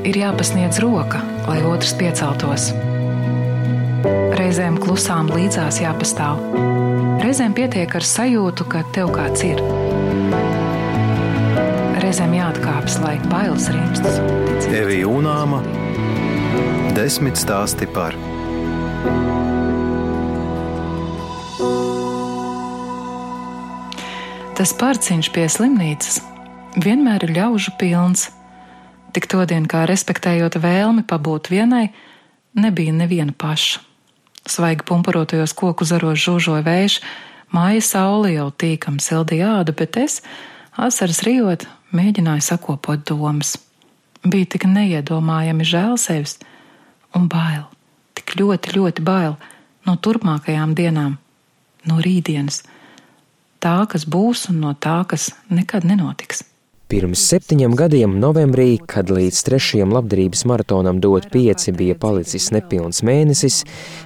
ir jāpasniedz roka, lai otrs pieceltos. Reizēm klusām līdzās jāpastāv. Reizēm pietiek ar sajūtu, ka tev kāds ir. Reizēm jāatkāpjas, lai bailes rimstas. Evija Unāma, 10 stāsti par. Tas parciņš pie slimnīcas vienmēr ir ļaužu pilns. Tik todien, kā respektējot vēlmi pabūt vienai, nebija neviena paša. Svaigi pumpurotajos koku zaros žūžoja vējš, māja saule jau tīkam sildīja ādu, bet es, asaras rijot, mēģināju sakopot domas. Bija tik neiedomājami žēl sevis un bail, tik ļoti, ļoti bail no turpmākajām dienām, no rītdienas, tā, kas būs un no tā, kas nekad nenotiks. Pirms 7 gadiem novembrī, kad līdz 3. labdarības maratonam dot 5 bija palicis nepilns mēnesis,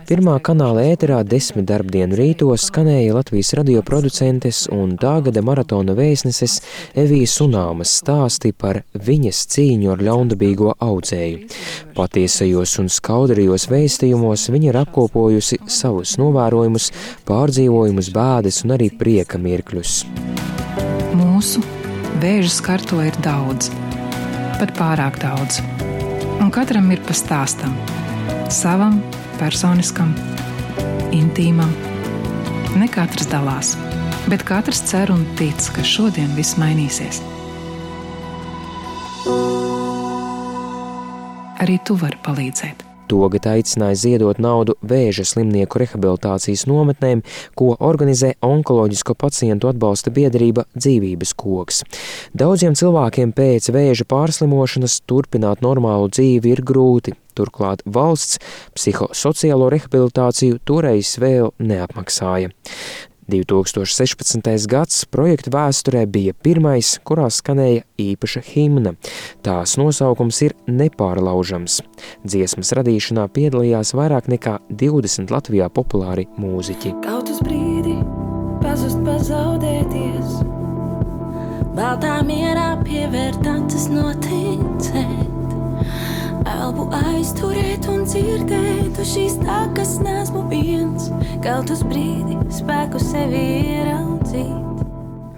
pirmā kanāla ēterā 10 darbdienu rītos skanēja Latvijas radio producentes un tā gada maratona vēstneses Evijas Unāmas stāsti par viņas cīņu ar ļaundabīgo audzēju. Patiesajos un skaudarījos vēstījumos viņa ir apkopojusi savus novērojumus, pārdzīvojumus, bēdas un arī prieka mirkļus. Mūsu vēža skarto ir daudz, pat pārāk daudz, un katram ir pa stāstam, savam, personiskam, intīmam. Ne katrs dalās, bet katrs cer un tic, ka šodien viss mainīsies. Arī tu vari palīdzēt. Togad aicināja ziedot naudu vēža slimnieku rehabilitācijas nometnēm, ko organizē onkoloģisko pacientu atbalsta biedrība Dzīvības koks. Daudziem cilvēkiem pēc vēža pārslimošanas turpināt normālu dzīvi ir grūti. Turklāt valsts psihosociālo rehabilitāciju toreiz vēl neapmaksāja. 2016. gads projekta vēsturē bija pirmais, kurā skanēja īpaša himna. Tās nosaukums ir Nepārlaužams. Dziesmas radīšanā piedalījās vairāk nekā 20 Latvijā populāri mūziķi. Kaut uz brīdi pazust, pazaudēties, baltā mierā pievērt acis noticēt, elpu aizturēt un dzirdēt uz šīs takas nesmu viens, kaut uz brīdi spēku sevi ieraudzīt.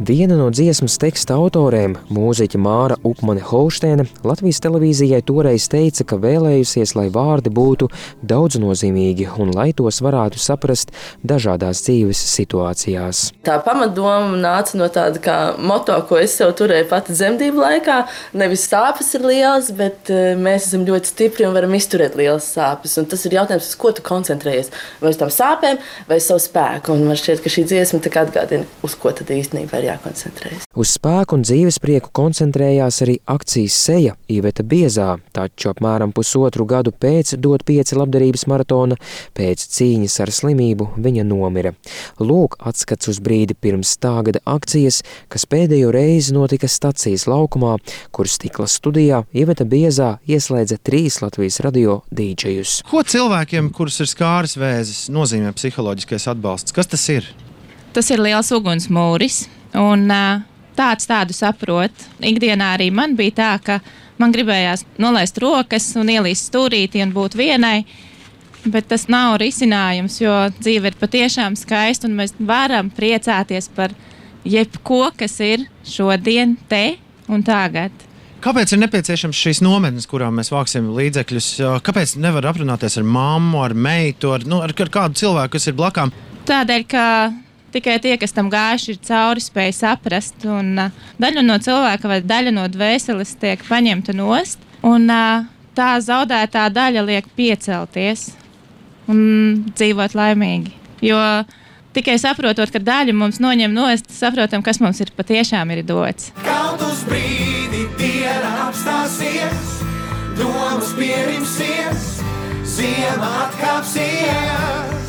Viena no dziesmas teksta autorēm, mūziķa Māra Upmane-Holštēne, Latvijas televīzijai toreiz teica, ka vēlējusies, lai vārdi būtu daudznozīmīgi un lai tos varētu saprast dažādās dzīves situācijās. Tā pamatdoma nāca no tāda kā moto, ko es sev turēju pati dzemdību laikā. Nevis sāpes ir lielas, bet mēs esam ļoti stipri un varam izturēt lielas sāpes. Un tas ir jautājums, uz ko tu koncentrējies. Vai uz tām sāpēm, vai uz savu spēku. Un man šķiet, ka šī dziesma tā kā atgādina, uz ko tad īstenībā ir jākoncentrējas. Uz spēku un dzīvesprieku koncentrējās arī akcijas Seja Iveta Biezā, taču apmēram 1,5 gadu pēc dot 5 labdarības maratona, pēc cīņas ar slimību viņa nomira. Lūk atskats uz brīdi pirms tā gada akcijas, kas pēdējo reizi notika stacijas laukumā, kur stikla studijā Iveta Biezā ieslēdza 3 Latvijas radio dīdžejus. Ko cilvēkiem, kurus ir skāris vēzis, nozīmē psiholoģiskais atbalsts? Kas tas ir? Tas ir liels ugunsmūris. Un tādu saprot. Ikdienā arī man bija tā, ka man gribējās nolaist rokas un ielīst stūrītī un būt vienai, bet tas nav risinājums, jo dzīve ir patiešām skaista un mēs varam priecāties par jebko, kas ir šodien, te un tagad. Kāpēc ir nepieciešams šīs nometnes, kurām mēs vāksim līdzekļus? Kāpēc nevar aprunāties ar mammu, ar meitu, ar kādu cilvēku, kas ir blakām? Tādēļ, ka tikai tie, kas tam gājuši, ir cauri spēj saprast, un daļa no cilvēka vai daļa no dvēseles tiek paņemta nost, un tā zaudētā daļa liek piecelties un dzīvot laimīgi. Jo tikai saprotot, ka daļa mums noņem nost, saprotam, kas mums ir patiešām ir dots. Kaut uz brīdi diena apstāsies, domas pierimsies, ziema atkāpsies.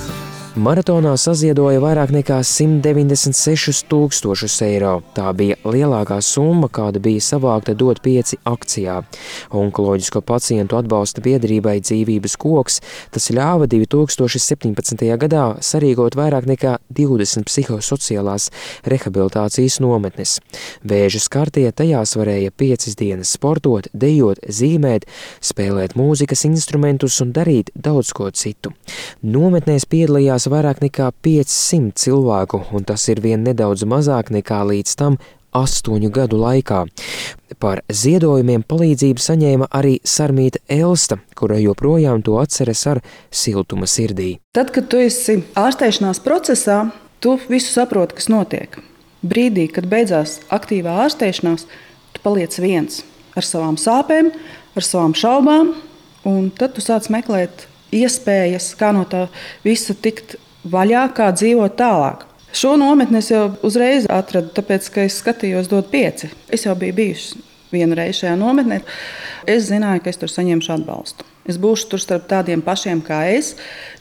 Maratonā saziedoja vairāk nekā 196 000 eiro. Tā bija lielākā summa, kāda bija savākta DOT 5 akcijā. Onkoloģisko pacientu atbalsta biedrībai Dzīvības koks tas ļāva 2017. gadā sarīkot vairāk nekā 20 psihosociālās rehabilitācijas nometnes. Vēža skartie tajās varēja 5 dienas sportot, dejot, zīmēt, spēlēt mūzikas instrumentus un darīt daudz ko citu. Nometnēs piedalījās vairāk nekā 500 cilvēku, un tas ir vien nedaudz mazāk nekā līdz tam 8 gadu laikā. Par ziedojumiem palīdzību saņēma arī Sarmīta Elsta, kura joprojām to atceras ar siltuma sirdī. Tad, kad tu esi ārstēšanās procesā, tu visu saproti, kas notiek. Brīdī, kad beidzās aktīvā ārstēšanās, tu paliec viens ar savām sāpēm, ar savām šaubām, un tad tu sāc meklēt iespējas, kā no tā visa tikt vaļā, kā dzīvot tālāk. Šo nometni es jau uzreiz atradu, tāpēc, ka es skatījos DOT 5. Es jau biju bijusi vienu reizi šajā nometnē. Es zināju, ka es tur saņemšu atbalstu. Es būšu tur starp tādiem pašiem kā es,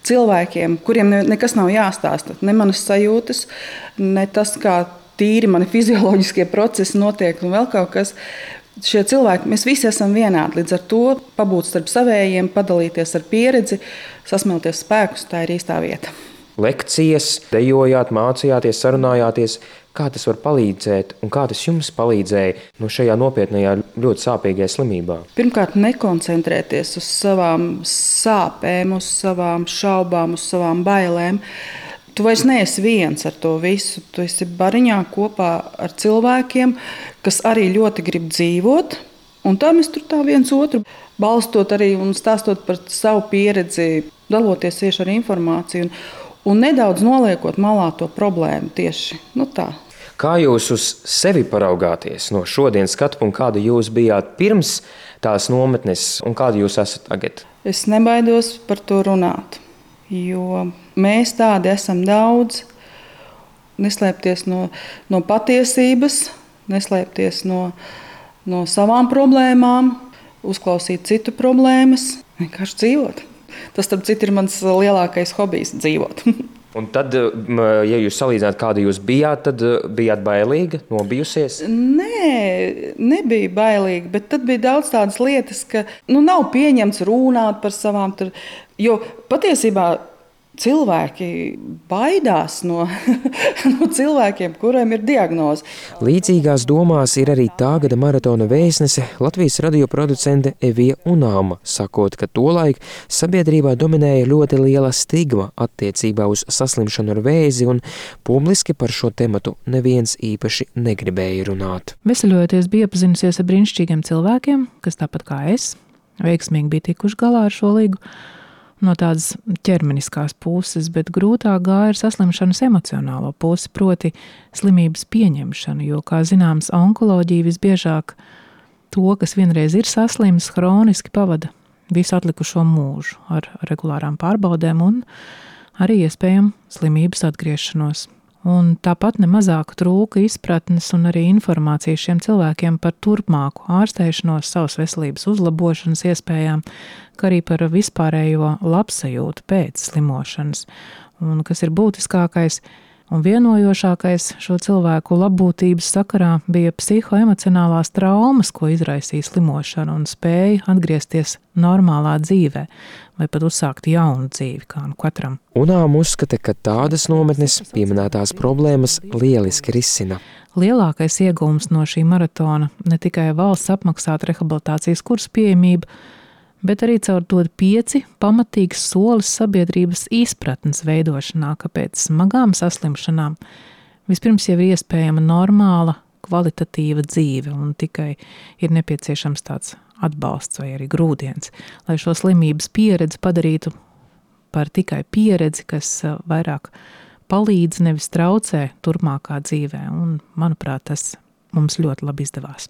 cilvēkiem, kuriem nekas nav jāstāsta. Ne manas sajūtas, ne tas, kā tīri mani fizioloģiskie procesi notiek un vēl kaut kas. Šie cilvēki, mēs visi esam vienādi, līdz ar to pabūt starp savējiem, padalīties ar pieredzi, sasmelties spēkus, tā ir īstā vieta. Lekcijas, dejojāt, mācījāties, sarunājāties. Kā tas var palīdzēt un kā tas jums palīdzēja no šajā nopietnajā, ļoti sāpīgajā slimībā? Pirmkārt, nekoncentrēties uz savām sāpēm, uz savām šaubām, uz savām bailēm. Tu vairs neesi viens ar to visu. Tu esi bariņā kopā ar cilvēkiem, kas arī ļoti grib dzīvot. Un tā mēs tur tā viens otru balstot arī un stāstot par savu pieredzi, daloties tieši ar informāciju un nedaudz noliekot malā to problēmu tieši tā. Kā jūs uz sevi paraugāties no šodienas skatu punkta, kāda jūs bijāt pirms tās nometnes un kāda jūs esat tagad? Es nebaidos par to runāt, jo mēs tādi esam daudz. Neslēpties no patiesības, neslēpties no savām problēmām, uzklausīt citu problēmas, vienkārši dzīvot. Tas, starp citu, ir mans lielākais hobijs – dzīvot. Un tad, ja jūs salīdzināt, kāda jūs bijāt, tad bijāt bailīga, nobijusies? Nē, nebija bailīga, bet tad bija daudz tādas lietas, ka nav pieņemts runāt par savām. Jo patiesībā cilvēki baidās no cilvēkiem, kuriem ir diagnoze. Līdzīgās domās ir arī tā gada maratona vēstnese Latvijas radio producente Evija Unāma, sakot, ka tolaik sabiedrībā dominēja ļoti liela stigma attiecībā uz saslimšanu ar vēzi un publiski par šo tematu neviens īpaši negribēja runāt. Veseļojoties bija iepazinusies ar brīnišķīgiem cilvēkiem, kas tāpat kā es, veiksmīgi bija tikuši galā ar šo ligu, no tādas ķermeniskās puses, bet grūtāk gāja ar saslimšanas emocionālo pusi, proti slimības pieņemšanu, jo, kā zināms, onkoloģija visbiežāk to, kas vienreiz ir saslims, hroniski pavada visu atlikušo mūžu ar regulārām pārbaudēm un arī iespējam slimības atgriešanos. Un tāpat nemazāk trūka izpratnes un arī informācijas šiem cilvēkiem par turpmāku ārstēšanos, savas veselības uzlabošanas iespējām, kā arī par vispārējo labsajūtu pēc slimošanas. Un kas ir būtiskākais un vienojošākais šo cilvēku labbūtības sakarā bija psihoemocionālās traumas, ko izraisīja slimošana un spēja atgriezties normālā dzīvē vai pat uzsākt jaunu dzīvi, kā katram. Unām uzskata, ka tādas nometnes pieminētās problēmas lieliski risina. Lielākais iegūms no šī maratona ne tikai valsts apmaksāta rehabilitācijas kursu pieejamība, bet arī caur DOT 5 pamatīgs solis sabiedrības izpratnes veidošanā, ka pēc smagām saslimšanām vispirms jau ir iespējama normāla, kvalitatīva dzīve un tikai ir nepieciešams tāds atbalsts vai arī grūdienis, lai šo slimības pieredzi padarītu par tikai pieredzi, kas vairāk palīdz, nevis traucē turpmākā dzīvē. Un, manuprāt, tas mums ļoti labi izdevās.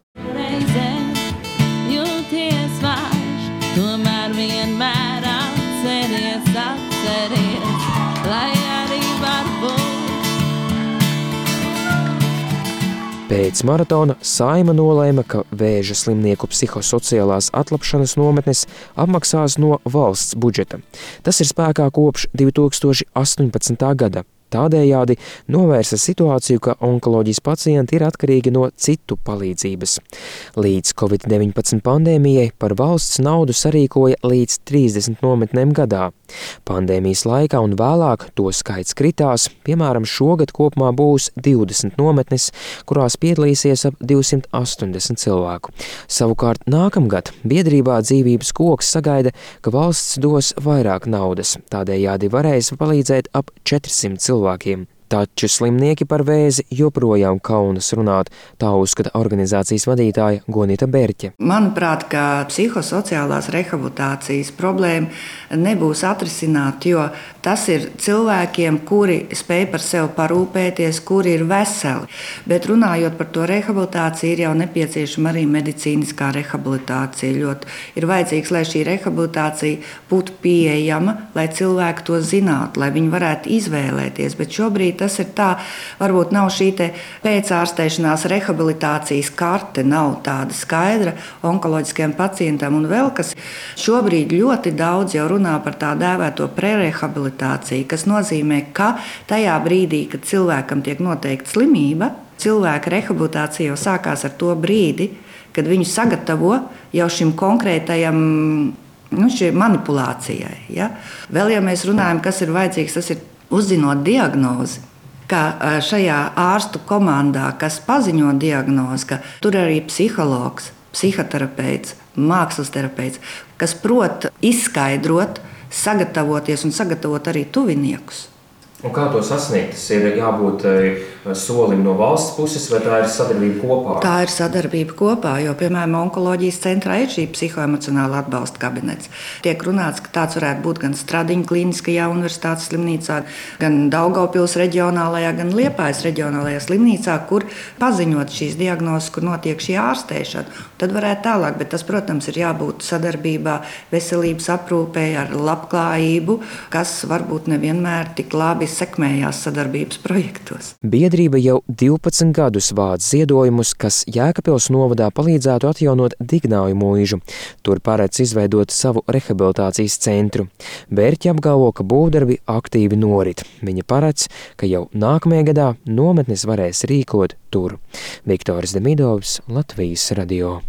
Tomēr vienmēr atceries, lai arī var būt. Pēc maratona Saeima nolēma, ka Vēža slimnieku psihosociālās atlapšanas nometnes apmaksās no valsts budžeta. Tas ir spēkā kopš 2018. gada. Tādējādi novērsa situāciju, ka onkoloģijas pacienti ir atkarīgi no citu palīdzības. Līdz Covid-19 pandēmijai par valsts naudu sarīkoja līdz 30 nometnēm gadā. Pandēmijas laikā un vēlāk to skaits kritās, piemēram, šogad kopumā būs 20 nometnes, kurās piedalīsies ap 280 cilvēku. Savukārt nākamgad biedrībā Dzīvības koks sagaida, ka valsts dos vairāk naudas, tādējādi varēs palīdzēt ap 400 cilvēkiem. Taču slimnieki par vēzi joprojām kaunas runāt, tā uzskata organizācijas vadītāja Gonita Berķe. Manuprāt, ka psihosociālās rehabilitācijas problēma nebūs atrisināta, jo tas ir cilvēkiem, kuri spēj par sevi parūpēties, kuri ir veseli. Bet runājot par to rehabilitāciju, ir jau nepieciešama arī medicīniskā rehabilitācija. Ļoti ir vajadzīgs, lai šī rehabilitācija būtu pieejama, lai cilvēki to zinātu, lai viņi varētu izvēlēties. Bet šobrīd tas ir tā, varbūt nav šī pēcārstēšanās rehabilitācijas karte, nav tāda skaidra onkoloģiskiem pacientam. Un vēl kas šobrīd ļoti daudz jau runā par tā dēvēto prerehabilitāciju, kas nozīmē, ka tajā brīdī, kad cilvēkam tiek noteikta slimība, cilvēka rehabilitācija jau sākās ar to brīdi, kad viņu sagatavo jau šim konkrētajam šī manipulācijai. Ja? Vēl, ja mēs runājam, kas ir vajadzīgs, tas ir uzzinot diagnozi. Ka šajā ārstu komandā, kas paziņo diagnozi, ka tur arī psihologs, psihoterapeits, mākslas terapeits, kas prot izskaidrot, sagatavoties un sagatavot arī tuviniekus. Un kā to sasniegt? Tas ir jābūt solim no valsts puses, vai tā ir sadarbība kopā? Tā ir sadarbība kopā, jo, piemēram, onkoloģijas centrā ir šī psihoemocionāla atbalsta kabinets. Tiek runāts, ka tāds varētu būt gan Stradiņa klīniskajā universitātes slimnīcā, gan Daugavpils reģionālajā, gan Liepājas reģionālajā slimnīcā, kur paziņot šīs diagnozes, kur notiek šī ārstēšana. Tad varētu tālāk, bet tas, protams, ir jābūt sadarbībā veselības aprūpē ar labklājību, kas varbūt nevienmēr tik labi sekmējās sadarbības projektos. Biedrība jau 12 gadus vāc ziedojumus, kas Jēkabpils novadā palīdzētu atjaunot Dignāju mūžu. Tur paredz izveidot savu rehabilitācijas centru. Bērķi apgalvo, ka būvdarbi aktīvi norit. Viņa paredz, ka jau nākamajā gadā nometnes varēs rīkot tur. Viktors Demidovs, Latvijas radio.